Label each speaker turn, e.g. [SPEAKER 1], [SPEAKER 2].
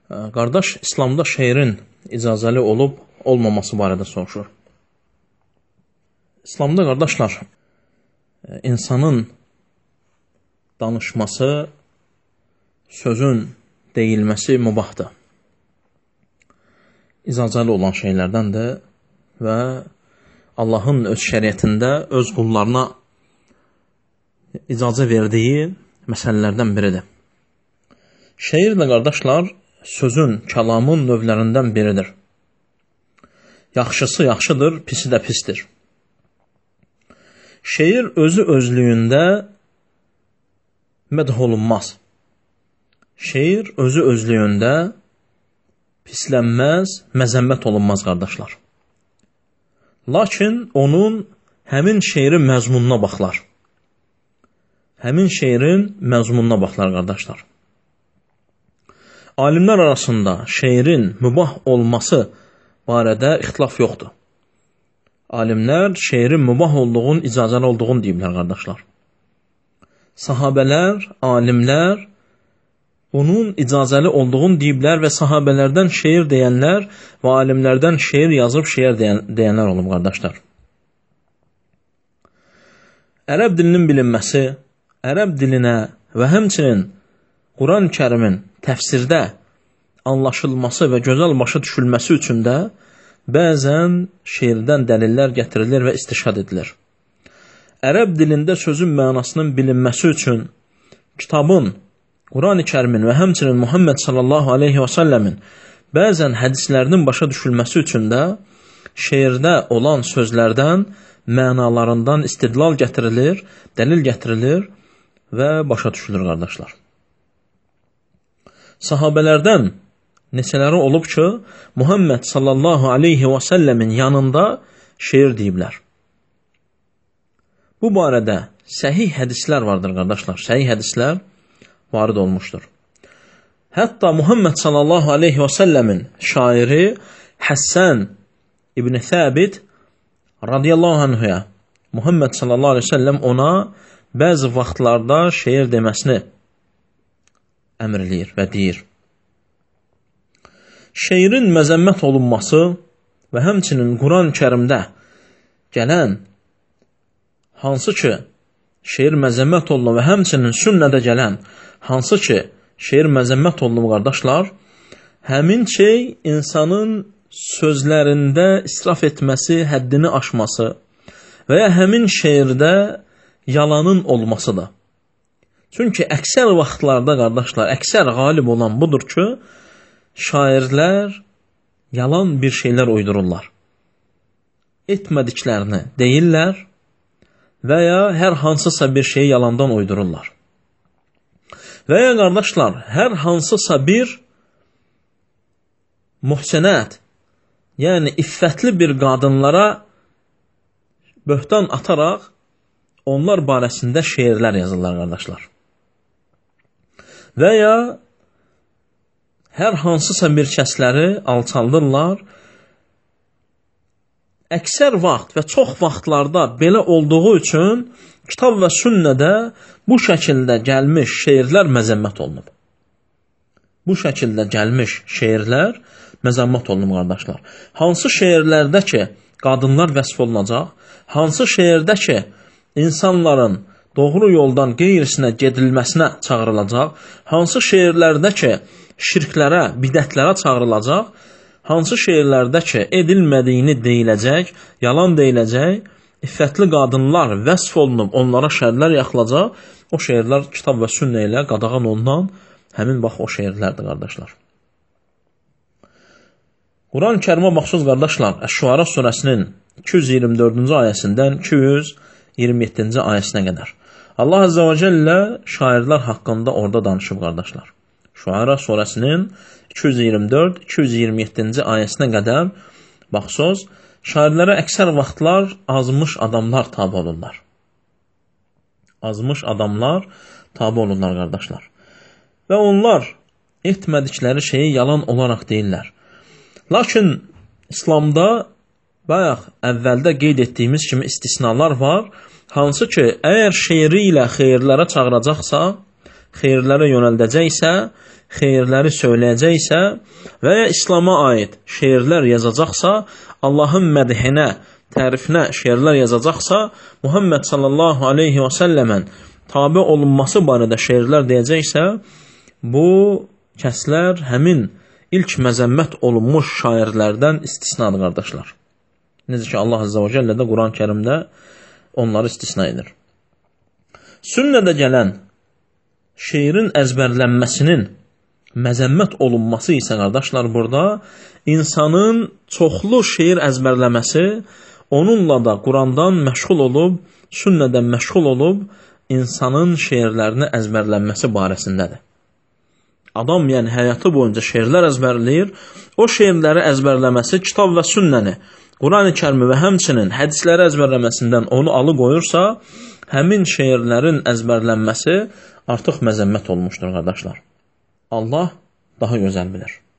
[SPEAKER 1] Qardaş, İslamda şeirin icazəli olub olmaması barədə soruşur. İslamda qardaşlar, insanın danışması, sözün deyilməsi mübahdır. İcazəli olan şeylərdəndir və Allahın öz şəriətində öz qullarına icazə verdiyi məsələlərdən biridir. Şeir də qardaşlar, sözün, kəlamın növlərindən biridir. Yaxşısı yaxşıdır, pisi də pisdir. Şeir özü özlüyündə mədh olunmaz. Şeir özü özlüyündə pislənməz, məzəmmət olunmaz qardaşlar. Lakin onun həmin şeirin məzmununa baxlar. Həmin şeirin məzmununa baxlar qardaşlar. Alimlər arasında şeirin mübah olması barədə ixtilaf yoxdur. Alimlər şeirin mübah olduğunu, icazəli olduğunu deyiblər qardaşlar. Sahabələr, alimlər bunun icazəli olduğunu deyiblər və sahabələrdən şeir deyənlər və alimlərdən şeir yazıb şeir deyənlər olub qardaşlar. Ərəb dilinin bilinməsi, ərəb dilinə və həmçinin Quran-ı Kərimin təfsirdə anlaşılması və gözəl başa düşülməsi üçün də bəzən şeirdən dəlillər gətirilir və istişhad edilir. Ərəb dilində sözün mənasının bilinməsi üçün kitabın, Quran-ı Kərimin və həmçinin Muhammed sallallahu aleyhi və səlləmin bəzən hədislərinin başa düşülməsi üçün də şeirdə olan sözlərdən, mənalarından istidlal gətirilir, dəlil gətirilir və başa düşülür qardaşlar. Sahabələrdən neçələri olub ki, Muhammed sallallahu aleyhi və səlləmin yanında şeir deyiblər. Bu barədə səhih hədislər vardır qardaşlar, səhih hədislər varid olmuşdur. Hətta Muhammed sallallahu aleyhi və səlləmin şairi Həssən İbn Səbit radiyallahu anhuya Muhammed sallallahu aleyhi və səlləm ona bəzi vaxtlarda şeir deməsini əmr eləyir və deyir. Şeirin məzəmmət olunması və həmçinin Quran-ı Kərimdə gələn hansı ki şeir məzəmmət olunur və həmçinin sünnədə gələn hansı ki şeir məzəmmət olunur qardaşlar, həmin şey insanın sözlərində israf etməsi, həddini aşması və ya həmin şeirdə yalanın olmasıdır. Çünki əksər vaxtlarda qardaşlar, əksər qalib olan budur ki, şairlər yalan bir şeylər uydururlar. Etmədiklərini deyirlər və ya hər hansısa bir şeyi yalandan uydururlar. Və ya qardaşlar, hər hansısa bir muhsinət, yəni iffətli bir qadınlara böhtan ataraq onlar barəsində şeirlər yazırlar qardaşlar. Və ya hər hansısa bir kəsləri alçaldırlar. Əksər vaxt və çox vaxtlarda belə olduğu üçün kitab və sünnədə bu şəkildə gəlmiş şeirlər məzəmmət olunub. Bu şəkildə gəlmiş şeirlər məzəmmət olunub qardaşlar. Hansı şeirlərdə ki qadınlar vəsf olunacaq, hansı şeirdə ki insanların doğru yoldan qeyrisinə gedilməsinə çağırılacaq, hansı şeirlərdə ki şirklərə, bidətlərə çağırılacaq, hansı şeirlərdə ki edilmədiyini deyiləcək, yalan deyiləcək, iffətli qadınlar vəsf olunub, onlara şərlər yaxılacaq, o şeirlər kitab və sünnə ilə qadağan olunan həmin bax o şeirlərdir qardaşlar. Quran-ı Kərimə baxsız qardaşlar, Əş-Şuara surəsinin 224-cü ayəsindən 227-ci ayəsinə qədər. Allah Azze və Cəllə şairlər haqqında orada danışıb qardaşlar. Şuara surəsinin 224-227-ci ayəsinə qədər baxsız, şairlərə əksər vaxtlar azmış adamlar tabi olurlar. Azmış adamlar tabi olurlar qardaşlar. Və onlar etmədikləri şeyi yalan olaraq deyirlər. Lakin İslamda bayaq əvvəldə qeyd etdiyimiz kimi istisnalar var. Hansı ki, əgər şeiri ilə xeyirlərə çağıracaqsa, xeyirlərə yönəldəcəksə, xeyirləri söyləyəcəksə və ya İslama aid şeirlər yazacaqsa, Allahın mədhinə, tərifinə şeirlər yazacaqsa, Muhammed sallallahu aleyhi və səlləmən tabi olunması barədə şeirlər deyəcəksə, bu kəslər həmin ilk məzəmmət olunmuş şairlərdən istisnadır, qardaşlar. Necə ki, Allah Azza və Cəllə də Quran-ı Kərimdə onları istisna edir. Sünnədə gələn şeirin əzbərlənməsinin məzəmmət olunması isə, qardaşlar, burada insanın çoxlu şeir əzbərləməsi, onunla da Qurandan məşğul olub, sünnədən məşğul olub, insanın şeirlərini əzbərlənməsi barəsindədir. Adam, yəni həyatı boyunca şeirlər əzbərləyir, o şeirləri əzbərləməsi kitab və sünnəni, Quran-ı Kərimi və həmçinin hədisləri əzbərləməsindən onu alıqoyursa, həmin şeirlərin əzbərlənməsi artıq məzəmmət olmuşdur, qardaşlar. Allah daha gözəl bilir.